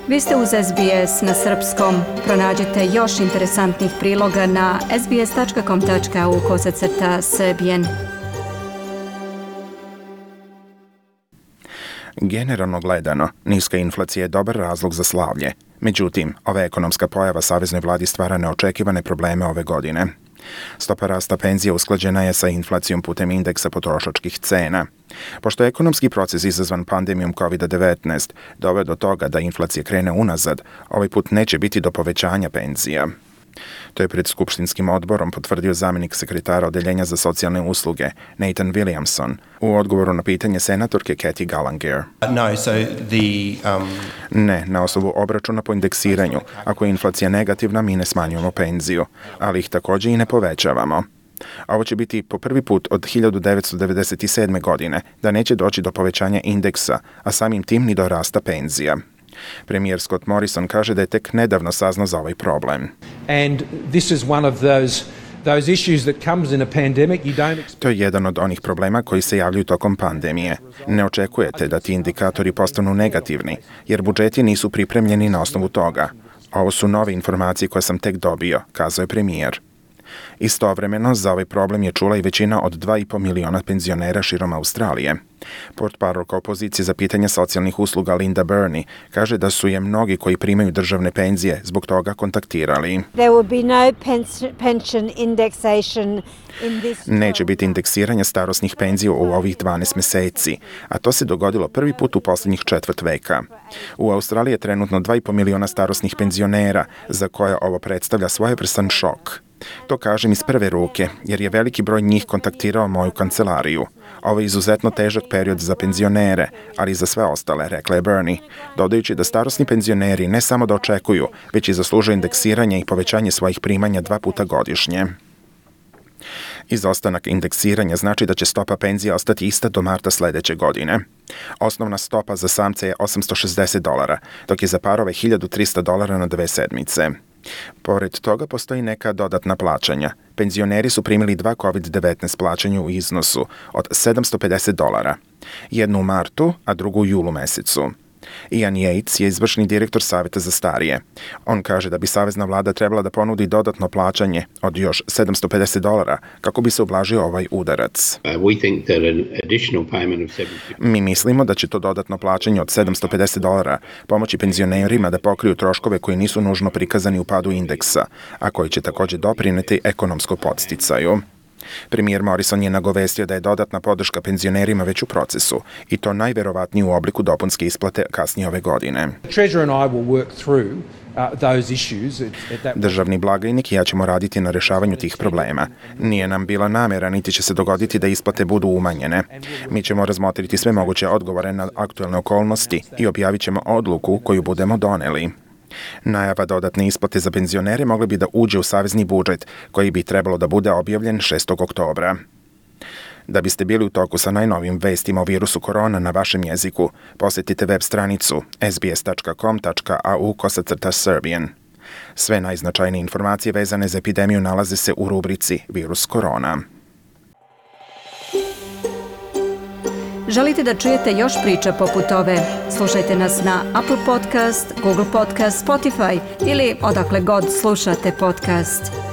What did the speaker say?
Vi ste uz SBS na srpskom. Pronađite još interesantnih priloga na sbs.com.au/serbian. Generalno gledano, niska inflacija je dobar razlog za slavlje. Međutim, ova ekonomska pojava saveznoj vladi stvara neočekivane probleme ove godine. Stopa rasta penzija usklađena je sa inflacijom putem indeksa potrošačkih cena. Pošto je ekonomski proces izazvan pandemijom COVID-19 doveo do toga da inflacija krene unazad, ovaj put neće biti do povećanja penzija. To je pred skupštinskim odborom potvrdio zamjenik sekretara Odeljenja za socijalne usluge Nathan Williamson u odgovoru na pitanje senatorke Kathy Gallagher. Ne, na osnovu obračuna po indeksiranju. Ako je inflacija negativna, mi ne smanjujemo penziju, ali ih također i ne povećavamo. A ovo će biti po prvi put od 1997. godine da neće doći do povećanja indeksa, a samim tim ni do rasta penzija. Premijer Scott Morrison kaže da je tek nedavno saznao za ovaj problem. To je jedan od onih problema koji se javljaju tokom pandemije. Ne očekujete da ti indikatori postanu negativni, jer budžeti nisu pripremljeni na osnovu toga. Ovo su nove informacije koje sam tek dobio, kazao je premijer. Istovremeno, za ovaj problem je čula i većina od 2,5 miliona penzionera širom Australije. Portparolka opozicije za pitanje socijalnih usluga Linda Burney kaže da su je mnogi koji primaju državne penzije zbog toga kontaktirali. Neće biti indeksiranja starosnih penzija u ovih 12 meseci, a to se dogodilo prvi put u posljednjih četvrt veka. U Australiji je trenutno 2,5 miliona starosnih penzionera, za koje ovo predstavlja svojevrstan šok. To kažem iz prve ruke, jer je veliki broj njih kontaktirao moju kancelariju. Ovo je izuzetno težak period za penzionere, ali i za sve ostale, rekla je Burney, dodajući da starosni penzioneri ne samo da očekuju, već i zaslužuju indeksiranje i povećanje svojih primanja 2 puta godišnje. Izostanak indeksiranja znači da će stopa penzija ostati ista do marta sljedeće godine. Osnovna stopa za samce je $860, dok je za parove $1.300 na 2 sedmice. Pored toga postoji neka dodatna plaćanja. Penzioneri su primili 2 COVID-19 plaćanja u iznosu od $750. Jednu u martu, a drugu u julu mesecu. Ian Yates je izvršni direktor Savjeta za starije. On kaže da bi savezna vlada trebala da ponudi dodatno plaćanje od još $750 kako bi se ublažio ovaj udarac. Mi mislimo da će to dodatno plaćanje od $750 pomoći penzionerima da pokriju troškove koji nisu nužno prikazani u padu indeksa, a koji će također doprineti ekonomskom podsticaju. Premijer Morrison je nagovestio da je dodatna podrška penzionerima već u procesu i to najverovatnije u obliku dopunske isplate kasnije ove godine. Državni blagajnik i ja ćemo raditi na rješavanju tih problema. Nije nam bila namjera, niti će se dogoditi da isplate budu umanjene. Mi ćemo razmotriti sve moguće odgovore na aktualne okolnosti i objavit ćemo odluku koju budemo doneli. Najava dodatne isplate za penzionere mogla bi da uđe u savezni budžet, koji bi trebalo da bude objavljen 6. oktobra. Da biste bili u toku sa najnovijim vestima o virusu korona na vašem jeziku, posjetite web stranicu sbs.com.au/serbian. Sve najznačajnije informacije vezane za epidemiju nalaze se u rubrici Virus korona. Želite da čujete još priča poput ove? Slušajte nas na Apple Podcast, Google Podcast, Spotify ili odakle god slušate podcast.